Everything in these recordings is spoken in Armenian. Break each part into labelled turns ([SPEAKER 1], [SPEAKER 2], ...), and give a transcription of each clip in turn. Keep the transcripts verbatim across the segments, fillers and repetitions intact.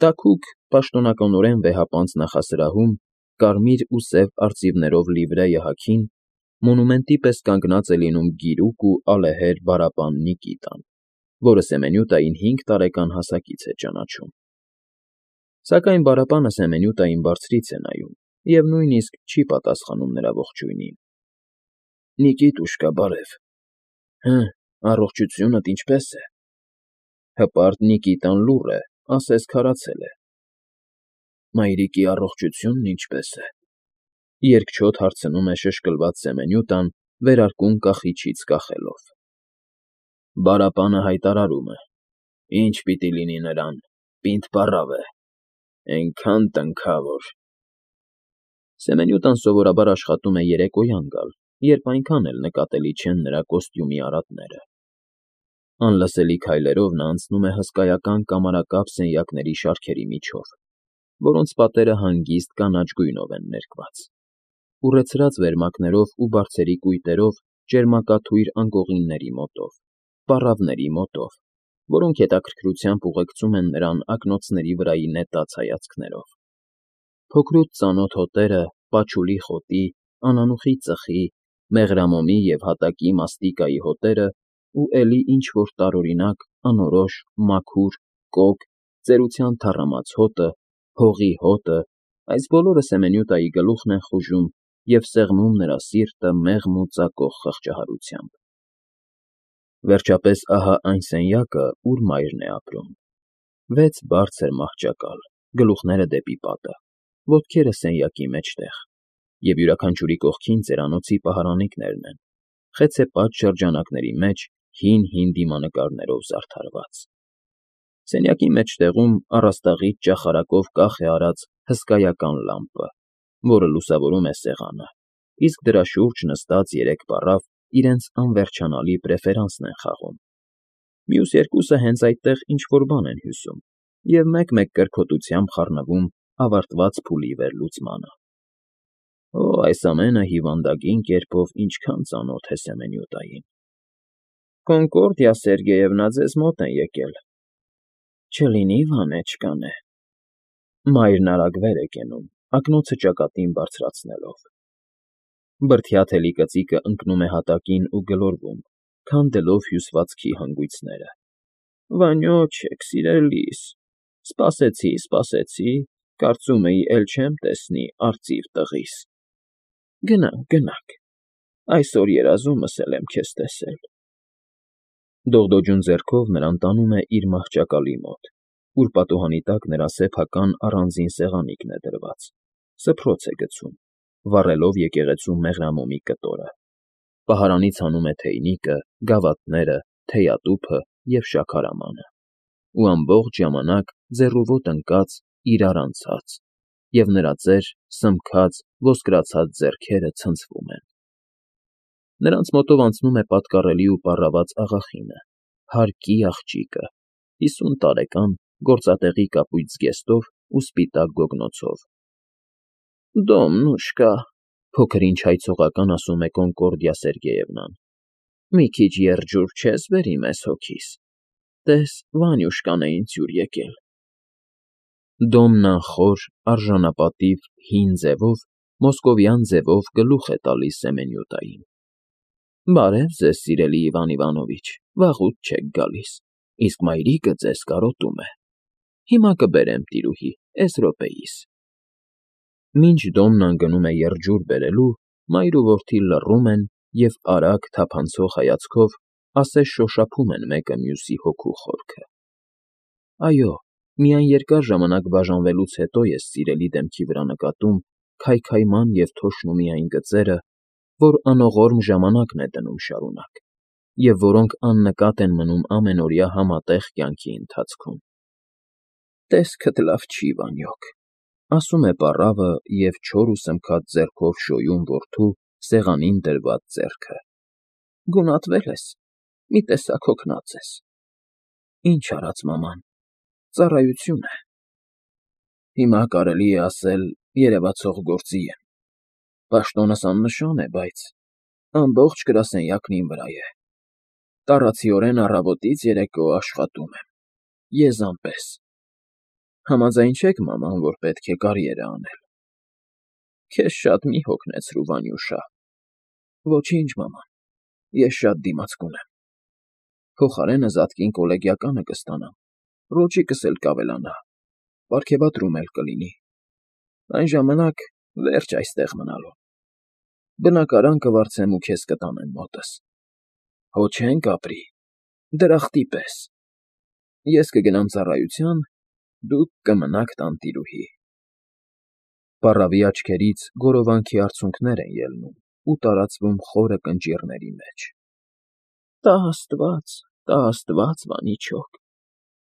[SPEAKER 1] Տաքուկ, պաշտոնականորեն վեհապանծ նախասրահում, կարմիր ու սև արծիվներով լիվրեյը հագին, մոնումենտի պես կանգնած է լինում գիրուկ ու ալեհեր բարապան Նիկիտան, որը Սեմենյուտային հինգ տարեկան հասակից է ճանաչում։ Սակայն բարապանը Սեմենյուտային բարձրից է նայում և նույնիսկ չի պատասխանում նրա ողջույնին։ ֊ Նիկիտուշկա, բարև։ Հը, առողջությունդ ինչպե՞ս է։ Հպարտ Նիկիտան լուռ է, ասես քարացել է։ Մայրիկի առողջությունն ինչպե՞ս է,֊ երկչոտ հարցնում է շշկլված Սեմենյուտան, վերարկուն կախիչից կախելով։ Բարապանը հայտարարում է. «Ինչ պիտի լինի նրան, պինդ պառավ է, էնքան տնքա, որ…» Սեմենյուտան սովորաբար աշխատում է երեկոյան գալ, երբ այնքան էլ նկատելի չեն նրա կոստյումի արատները։ Անլսելի քայլերով նա անցնում է հսկայական կամարակապ սենյակների շարքերի միջով, որոնց պատերը հանգիստ կանաչ գույնով են ներկված, ուռեցրած վերմակներով ու բարձերի կույտերով ճերմակաթույր անկողինների մոտով, պառավների մոտով, որոնք հետաքրքրությամբ ուղեկցում են նրան ակնոցների վրայի նետած հայացքներով։ Փոքրուց ծանոթ հոտերը, պաչուլի խոտի, անանուխի ծխի, մեղրամոմի և հատակի մաստիկայի հոտերը ու էլի ինչ֊որ տարօրինակ, անորոշ, մաքուր, կոգ, ծերության թառամած հոտը, հողի հոտը, այս բոլորը Սեմենյուտայի գլուխն են խուժում և սեղմում նրա սիրտը մեղմ ու ծակող խղճահարությամբ։ Վերջապես ահա այն սենյակը, ուր մայրն է ապրում. վեց բարձր մահճակալ, գլուխները դեպի պատը, ոտքերը սենյակի մեջտեղ, և յուրաքանչյուրի կողքին ծերանոցի պահարանիկներն են, խեցեպատ շրջանակների մեջ հին֊հին դիմանկարներով զարդարված։ Սենյակի մեջտեղում առաստաղից ճախարակով կախ է արած հսկայական լամպը, որը լուսավորում է սեղանը, իսկ դրա շուրջ նստած երեք պառավ իրենց անվերջանալի պրեֆերանսն են խաղում։ Մյուս երկուսը հենց այդտեղ ինչ֊որ բան են հյուսում և մեկ֊մեկ կրքոտությամբ խառնվում ավարտված փուլի վերլուծմանը։ Օ, այս ամենը հիվանդագին կերպով ինչքան ծանոթ է Սեմենյուտային։ Կոնկորդիա Սերգեյևնա ձեզ մոտ են եկել։ Չլինի Վանեչկան է։ Մայրն արագ վեր է կենում, ակնոցը ճակատին բարձրացնելով։ Բրդյա թելի կծիկը ընկնում է հատակին ու գլորվում, քանդելով հյուսվածքի հանգույցները։ Վանյոչեք, սիրելիս, սպասեցի, սպասեցի, կարծում էի էլ չեմ տեսնի արծիվ տղիս։ Գնանք, գնանք, այսօր երազումս էլ եմ քեզ տեսել։ Դողդոջուն ձեռքով նրան տանում է իր մահճակալի մոտ, ուր պատուհանի տակ նրա սեփական առանձին սեղանիկն է դրված, սփռոց է գցում, վառելով եկեղեցու մեղրամոմի կտորը, պահարանից հանում է թեյնիկը, գավաթները, թեյատուփը և շաքարամանը, ու ամբողջ ժամանակ ձեռուոտ ընկած, իրար անցած, և նրա ծեր, սմքած, ոսկրացած ձեռքերը ցնցվում են։ Նրանց մոտով անցնում է պատկառելի ու պառաված աղախինը, հարկի աղջիկը, հիսուն տարեկան, գործատեղի կապույտ զգեստով ու սպիտակ գոգնոցով։ Դոմնուշկա, փոքր ինչ հայցողական ասում է Կոնկորդիա Սերգեյևնան, մի քիչ եղջյուր չես բերի մեզ հոգիս, տես Վանյուշկան է ինձ հյուր եկել։ Դոմնան խոր, արժանապատիվ, հին ձևով, մոսկովյան ձևով գլուխ է տալիս Սեմենյուտային։ Բարև ձեզ, սիրելի Իվան Իվանովիչ, վաղուց չեք գալիս, իսկ մայրիկը ձեզ կարոտում է։ Հիմա կբերեմ, տիրուհի, էս րոպեիս։ Մինչ Դոմնան գնում է եղջյուր բերելու, մայր ու որդի լռում են և արագ, թափանցող հայացքով ասես շոշափում են մեկը մյուսի հոգու խորքը։ Այո, միայն երկար ժամանակ բաժանվելուց հետո ես սիրելի դեմքի վրա նկատում քայքայման և թոշնումի այն գծերը, որ անողորմ ժամանակն է դնում շարունակ, և որոնք աննկատ են մնում ամենօրյա համատեղ կյանքի ընթացքում։ Տեսքդ լավ չի, Վանյոկ, ասում է պառավը և չոր ու սմքած ձեռքով շոյում որդու սեղանին դրված ձեռքը։ Գունատվել ես, մի տեսակ հոգնած ես։ Ինչ արած մաման, ծառայություն է։ Հիմա կարելի է ասել երևացող գործի եմ։ Պաշտոնս աննշան է, բայց ամբողջ գրասենյակն իմ վրա է։ Տառացիորեն առավոտից երեկո աշխատում եմ, եզան պես։ Համաձայն չեք, մաման, որ պետք է կարիերա անել։ Քեզ շատ մի հոգնեցրու, Վանյուշա։ Ոչինչ, մաման, ես շատ դիմացկուն եմ։ Փոխարենը զատկին կոլեգիականը կստանամ, ռոճիկս էլ կավելանա, պարգևատրում էլ կլինի։ Այն ժամանակ վերջ այստեղ մնալու։ Բնակարան կվարձեմ ու քեզ կտանեմ մոտս։ Հո չենք ապրի, դրախտի պես։ Ես կգնամ ծառայության, դուք կմնաք տանտիրուհի։ Պառավի աչքերից գորովանքի արցունքներ են ելնում ու տարածվում խորը կնճիռների մեջ։ Տա Աստված, տա Աստված, Վանիչոկ,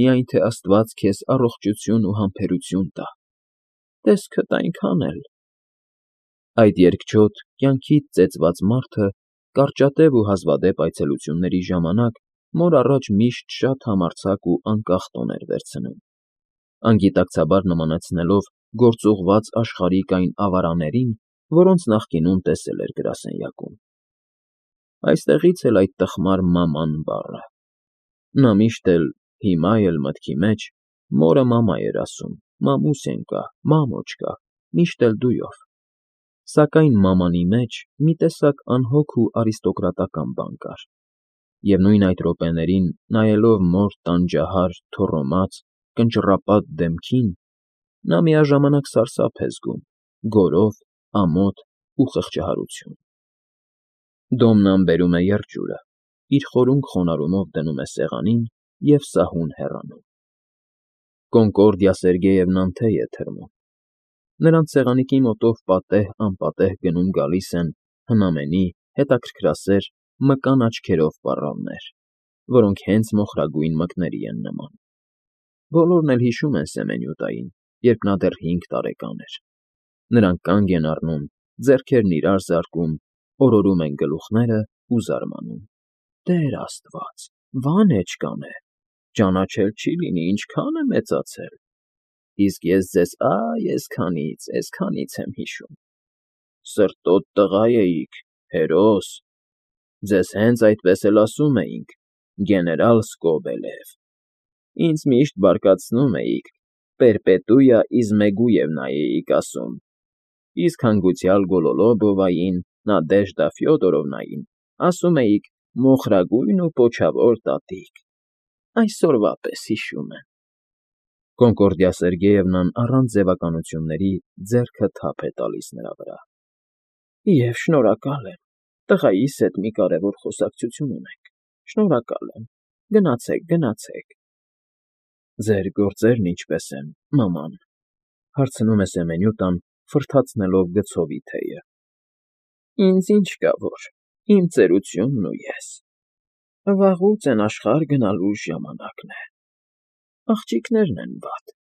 [SPEAKER 1] միայն թե Աստված քեզ առողջություն ու համբերություն տա, տեսքդ այնքան էլ… Այդ երկչոտ, կյանքից ծեծված մարդը կարճատև ու հազվադեպ այցելությունների ժամանակ մոր առաջ միշտ շատ համարձակ ու անկախ տոն էր վերցնում, անգիտակցաբար նմանեցնելով գործուղված աշխարհիկ այն ավարաներին, որոնց նախկինում տեսել էր գրասենյակում։ Այստեղից էլ այդ տխմար մաման բառը։ Նա միշտ էլ, հիմա էլ մտքի մեջ մորը մամա էր ասում, մամուսենька, մամոչկա, միշտ էլ դույով։ Սակայն մամանի մեջ մի տեսակ անհոգ ու արիստոկրատական բան կար, և նույն այդ րոպեներին, նայելով մոր տանջահար, թոռոմած, կնճռապատ դեմքին, նա միաժամանակ սարսափ է զգում, գորով, ամոթ ու խղճահարություն։ Դոմնան բերում է եղջյուրը, իր խորունկ խոնարհումով դնում է սեղանին և սահուն հեռանում։ Կոնկորդիա Սերգեյևնան թեյ է թրմում։ Նրանց սեղանիկի մոտով պատեհ֊անպատեհ գնում֊գալիս են հնամենի, հետաքրքրասեր, մկան աչքերով պառավներ, որոնք հենց մոխրագույն մկների են նման։ Բոլորն էլ հիշում են Սեմենյուտային, երբ նա դեռ հինգ տարեկան էր։ Նրանք կանգ են առնում, ձեռքերն իրար զարկում, օրորում են գլուխները ու զարմանում. Տեր Աստված, Վանեչկան է, ճանաչել չի լինի, ինչքան է մեծացել, իսկ ես ձեզ ա֊յ֊եսքանից, էսքանից եմ հիշում, սրտոտ տղա էիք, հերոս, ձեզ հենց այդպես էլ ասում էինք, գեներալ Սկոբելև, ինձ միշտ բարկացնում էիք, Պերպետույա Իզմեգույևնա էիք ասում, իսկ հանգուցյալ Գոլոլոբովային, Նադեժդա Ֆյոդորովնային ասում էիք մոխրագույն ու պոչավոր տատիկ, այսօրվա պես հիշում եմ։ Կոնկորդիա Սերգեյևնան առանց ձևականությունների ձեռքը թափ է տալիս նրա վրա։ Եվ շնորհակալ եմ, տղայիս հետ մի կարևոր խոսակցություն ունենք, շնորհակալ եմ, գնացեք, գնացեք։ Ձեր գործերն ինչպե՞ս են, մաման, հարցնում է Սեմենյուտան, ֆռթացնելով գցովի թեյը։ Ինձ ինչ կա որ, իմ ծերությունն ու ես։ Վաղուց են աշխարհ գնալու ժամանակն է։ Աղջիկներն են վատ։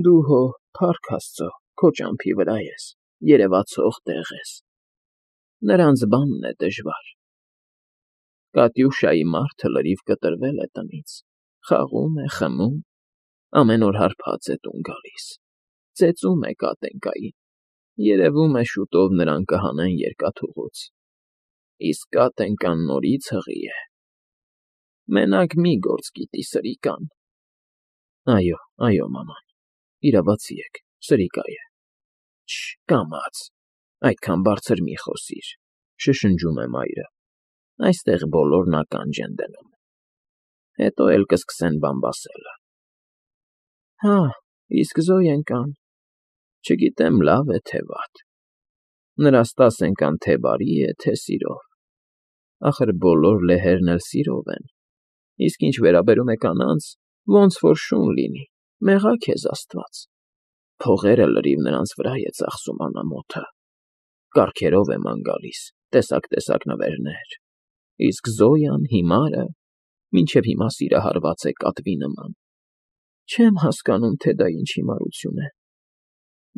[SPEAKER 1] Դու հո, փառք Աստծո, քո ճամփի վրա ես, երևացող տեղ ես։ Նրանց բանն է դժվար։ Կատյուշայի մարդը լրիվ կտրվել է տնից, խաղում է, խմում, ամեն օր հարբած է տուն գալիս, ծեծում է Կատենькային, երևում է շուտով նրան կհանեն երկաթուղուց, իսկ Կատենькան նորից հղի է։ Մենակ մի գործ գիտի սրիկան։ Այո, այո, մաման, իրավացի եք, սրիկա է։ Չը, կամաց, այդքան բարձր մի խոսիր, շշնջում է մայրը, այստեղ բոլորն ականջ են դնում, հետո էլ կսկսեն բամբասելը։ Հա, իսկ Զոյենկան, չգիտեմ լավ է, թե վատ, նրա Ստասենկան թե բարի է, թե սիրով, ախր բոլոր լեհերն էլ սիրով են, իսկ ինչ վերաբերում է կանանց, ոնց որ շուն լինի, մեղա քեզ Աստված, փողերը լրիվ նրանց վրա է ծախսում անամոթը, կառքերով է ման գալիս, տեսակ֊տեսակ նվերներ, իսկ Զոյան, հիմարը, մինչև հիմա սիրահարված է կատվի նման։ Չեմ հասկանում, թե դա ինչ հիմարություն է։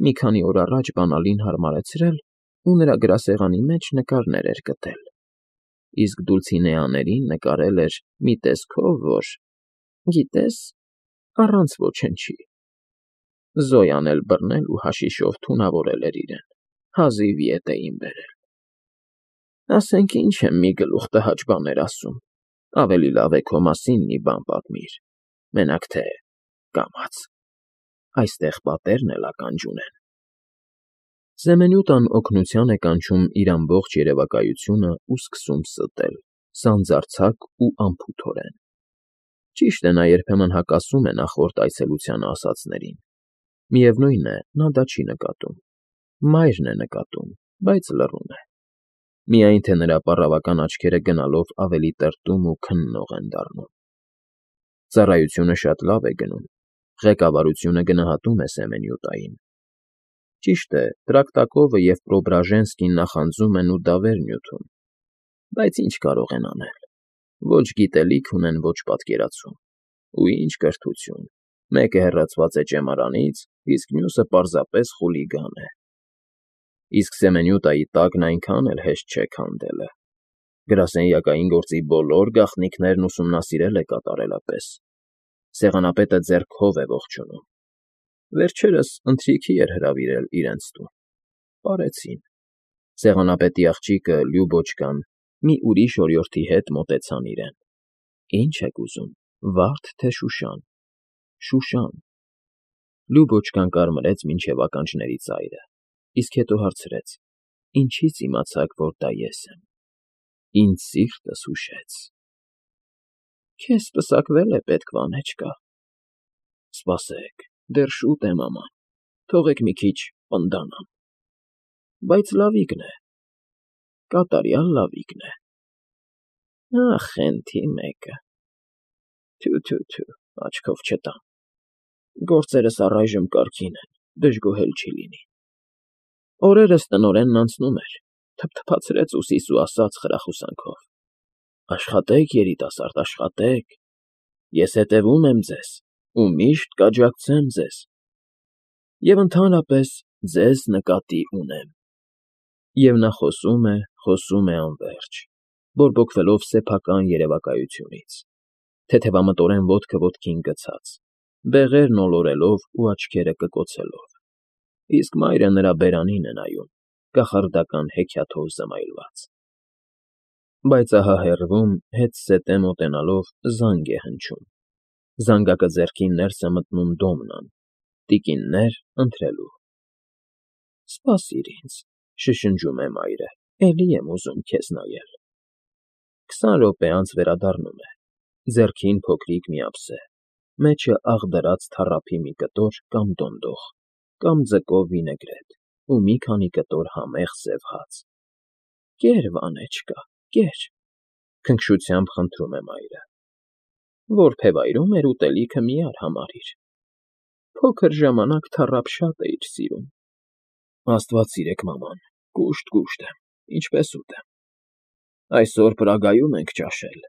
[SPEAKER 1] Մի քանի օր առաջ բանալին հարմարեցրել ու նրա գրասեղանի մեջ նկարներ էր գտել, իսկ Դուլցինեաներին նկարել էր մի տեսքով, որ, գիտես, առանց ոչնչի։ Զոյան էլ բռնել ու հաշիշով թունավորել էր իրեն, հազիվ ետ էին բերել։ Ասենք ինչ եմ մի գլուխ տհաճ բաներ ասում, ավելի լավ է քո մասին մի բան պատմիր, մենակ թե կամաց։ այստեղ պատերն էլ ականջ ունեն։ Սեմենյուտան օգնության է կանչում իր ամբողջ երևակայությունը ու սկսում ստել, սանձարձակ ու անփութորեն։ Ճիշտ է, նա երբեմն հակասում է նախորդ այցելությանը ասածներին։ Միևնույն է, նա դա չի նկատում։ Մայրն է նկատում, բայց լռում է։ Միայն թե նրա պառավական աչքերը գնալով ավելի տրտում ու քննող են դառնում։ Ծառայությունը շատ լավ է գնում, ղեկավարությունը գնահատում է Սեմենյուտային։ Ճիշտ է, Տրակտակովը և Պրոբրաժենսկին նախանձում են ու դավեր նյութում, բայց ինչ կարող են անել։ Ոչ գիտելիք ունեն, ոչ պատկերացում։ Ու ինչ կրթություն, մեկը հեռացված է ճեմարանից, իսկ մյուսը պարզապես խուլիգան է։ Իսկ Սեմենյուտայի տակն այնքան էլ հեշտ չէ քանդելը։ Գրասենյակային գործի բոլոր գաղտնիքներն ուսումնասիրել է կատարելապես։ Սեղանապետը ձեռքով է ողջունում։ Վերջերս ընթրիքի էր հրավիրել իրենց տուն։ Պարեցին։ Սեղանապետի աղջիկը Լյուբոչկան մի ուրիշ օրիորդի հետ մոտեցան իրեն։ Ինչ եք ուզում, վարդ թե Շուշան։ Շուշան։ Լյուբոչկան կարմրեց մինչև ականջների ծայրը, իսկ հետո հարցրեց. Ինչից իմացաք, որ դա ես եմ։ Ինձ սիրտս ուշեց։ Քեզ պսակվել է պետք, Վանեչկա։ Սպասեք, դեռ շուտ է, մաման, թողեք մի քիչ պնդանամ։ Բայց լավիկն է, կատարյալ լավիկն է։ Ախ, խենթի մեկը։ Թյու-թյու֊թյու, աչքով չտամ։ Գործերս առայժմ կարգին են, դժգոհել չի լինի։ Օրերս տնօրենն անցնում էր, թփթփացրեց ուսիս ու ասաց խրախուսանքով. Աշխատեք, երիտասարդ, աշխատեք։ Ես հետևում եմ ձեզ ու միշտ կաջակցեմ ձեզ։ Եվ ընդհանրապես ձեզ նկատի ունեմ։ Եվ նա խոսում է, խոսում է անվերջ, բորբոքվելով սեփական երևակայությունից, թեթևամտորեն ոտքը ոտքին գցած, բեղերն ոլորելով ու աչքերը կկոցելով, իսկ մայրը նրա բերանին է նայում, կախարդական հեքիաթով զմայլված։ Բայց ահա հեռվում, հետզհետե մոտենալով, զանգ է հնչում։ Զանգակը ձեռքին ներս է մտնում Դոմնան, տիկիններ ընթրելու։ Սպասիր ինձ, շշնջում է մայրը, էլի եմ ուզում քեզ նայել։ Քսան րոպե անց վերադառնում է, ձեռքին փոքրիկ մի ափսե, մեջը աղդրած թառափի մի կտոր կամ դոնդող, կամ ձկով վինեգրետ ու մի քանի կտոր համեղ սև հաց։ Կեր, Վանեչկա, կեր, քնքշությամբ խնդրում է մայրը։ Որբևայրում էր ուտելիքը միար համարիր։ Փոքր ժամանակ թառափ շատ էիր սիրում։ Աստված սիրեք, մաման, կուշտ֊կուշտ եմ, ինչպես ուտեմ։ Այսօր Պրագայում ենք ճաշել։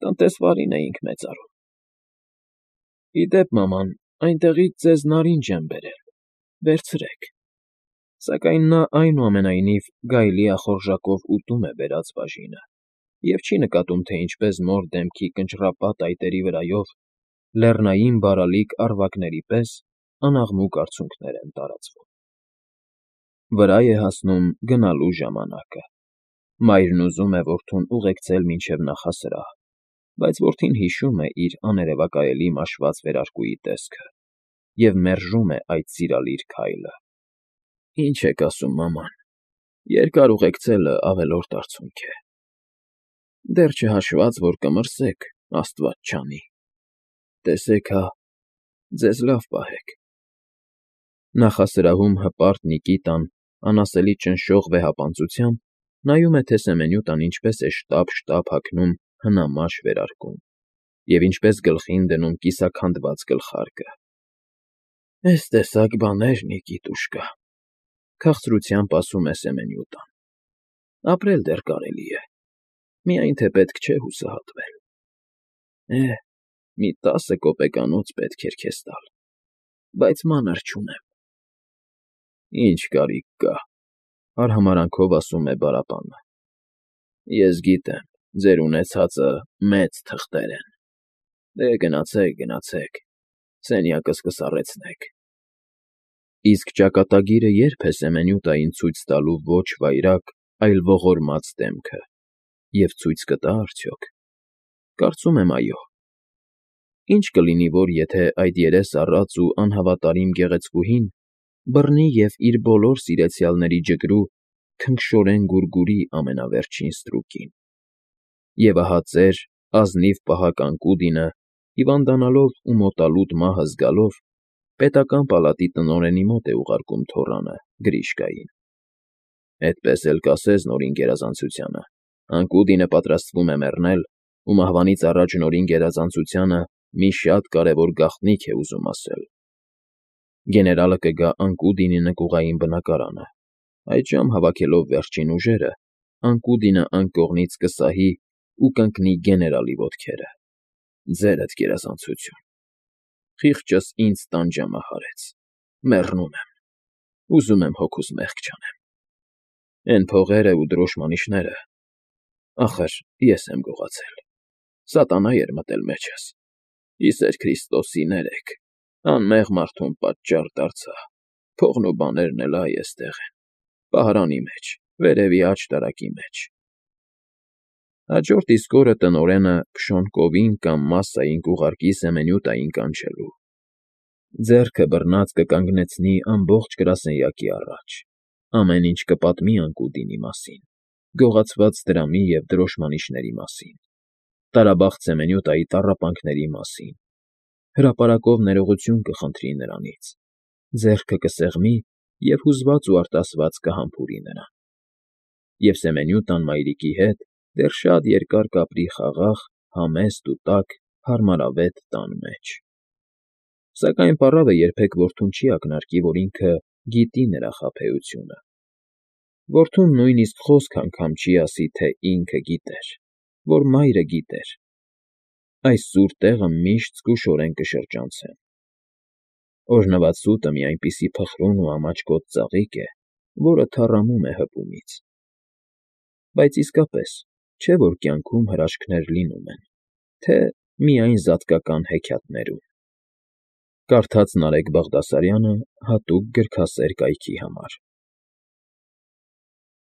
[SPEAKER 1] Տնտեսվարին էինք մեծարում։ Ի դեպ, մաման, այնտեղից ձեզ նարինջ եմ բերել, վերցրեք։ Սակայն նա այնուամենայնիվ գայլի ախորժակով ուտում է բերած բաժինը և չի նկատում, թե ինչպես նոր դեմքի կնճռապատ այտերի վրայով, լեռնային բարալիկ առվակների պես, անաղմուկ արցունքներ են տարածվում։ Վրա է հասնում գնալու ժամանակը։ Մայրն ուզում է որդուն ուղեկցել մինչև նախասրահ, բայց որդին հիշում է իր աներևակայելի մաշված վերարկուի տեսքը և մերժում է այդ սիրալիր քայլը։ Ինչ եք ասում, մաման, երկար ուղեկցելը ավելորդ արցունք է։ Դեռ չհաշված, որ կմրսեք, Աստված չանի։ Տեսեք հա, ձեզ լավ պահեք։ Նախասրահում հպարտ Նիկիտան անասելի ճնշող վեհապանծությամբ նայում է, թե Սեմենյուտան ինչպես է շտապ֊շտապ հագնում հնամաշ վերարկուն և ինչպես գլխին դնում կիսաքանդված գլխարկը։ Էս տեսակ բաներ, Նիկիտուշկա, քաղցրությամբ ասում է Սեմենյուտան։ Ապրել դեռ կարելի է, միայն թե պետք չէ հուսահատվել։ Է, մի տասը կոպեկանոց պետք էր քեզ տալ, բայց մանր չունեմ։ Ինչ կարիք կա, արհամարհանքով ասում է բարապանը։ Ես գիտեմ, ձեր ունեցածը մեծ թղթեր են։ Դե գնացեք, գնացեք, սենյակս կսառեցնեք։ Իսկ ճակատագիրը ե՞րբ է Սեմենյուտային ցույց տալու ոչ վայրագ, այլ ողորմած դեմքը, և ցույց կտա՞ արդյոք։ Կարծում եմ՝ այո։ Ինչ կլինի, որ եթե այդ երես առած ու անհավատարիմ գեղեցկուհին բռնի և իր բոլոր սիրեցյալների ջգրու քնքշորեն գուրգուրի ամենավերջին ստրուկին… Եվ ահա ծեր, ազնիվ պահակ Անկուդինը, հիվանդանալով ու մոտալուտ մահը զգալով, պետական պալատի տնօրենի մոտ է ուղարկում թոռանը՝ Գրիշկային։ Էդպես էլ կասես Նորին Գերազանցությանը, Անկուդինը պատրաստվում է մեռնել, ու մահվանից առաջ Նորին Գերազանցությանը մի շատ կարևոր գաղտնիք է ուզում ասել… Գեներալը կգա Անկուդինի նկուղային բնակարանը, այդժամ հավաքելով վերջին ուժերը, Անկուդինը անկողնից կսահի ու կընկնի գեներալի ոտքերը։ Ձերդ գերազանցություն… Խիղճս ինձ տանջամը հարեց, մեռնում եմ, ուզում եմ հոգուս մեղք չանեմ… Էն փողերը ու դրոշմանիշները… Ախր ես եմ գողացել, սատանա էր մտել մեջս, կիսեր Քրիստոսի, ներեք, անմեղ մարդուն պատճառ դարձա, փողն ու բաներն էլ այ էստեղ են, պահարանի մեջ, վերևի աջ տարակի մեջ… Հաջորդ իսկ օրը տնօրենը Փշոն կամ Մասսային կուղարկի Սեմենյուտային կանչելու… Ձեռքը բռնած կկանգնեցնի ամբողջ գրասենյակի առաջ, ամեն ինչ կպատմի Անկուդինի մասին, գողացված դրամի և դրոշմանիշների մասին, տարաբախտ Սեմենյուտայի տառապանքների մասին, հրապարակով ներողություն կխնդրի նրանից, ձեռքը կսեղմի և հուզված ու արտասված կհամբուրի նրան… Եվ Սեմենյուտան մայրիկի հետ դեռ շատ երկար կապրի խաղաղ, համեստ ու տաք, հարմարավետ տան մեջ… Սակայն պառավը երբեք որդուն չի ակնարկի, որ ինքը գիտի նրա խաբեությունը… Որդուն նույնիսկ խոսք անգամ չի ասի, թե ինքը գիտեր, որ մայրը գիտեր… Այս սուր տեղը միշտ զգուշորեն կշրջանցեն… Օրհնված սուտը մի այնպիսի փխրուն ու ամաչկոտ ծաղիկ է, որը թառամում է հպումից… Բայց իսկապես, չէ՞ որ կյանքում հրաշքներ լինում են, թե՞ միայն զատկական հեքիաթներում… Կարդաց Նարեկ Բաղդասարյանը հատուկ գրքասեր կայքի համար։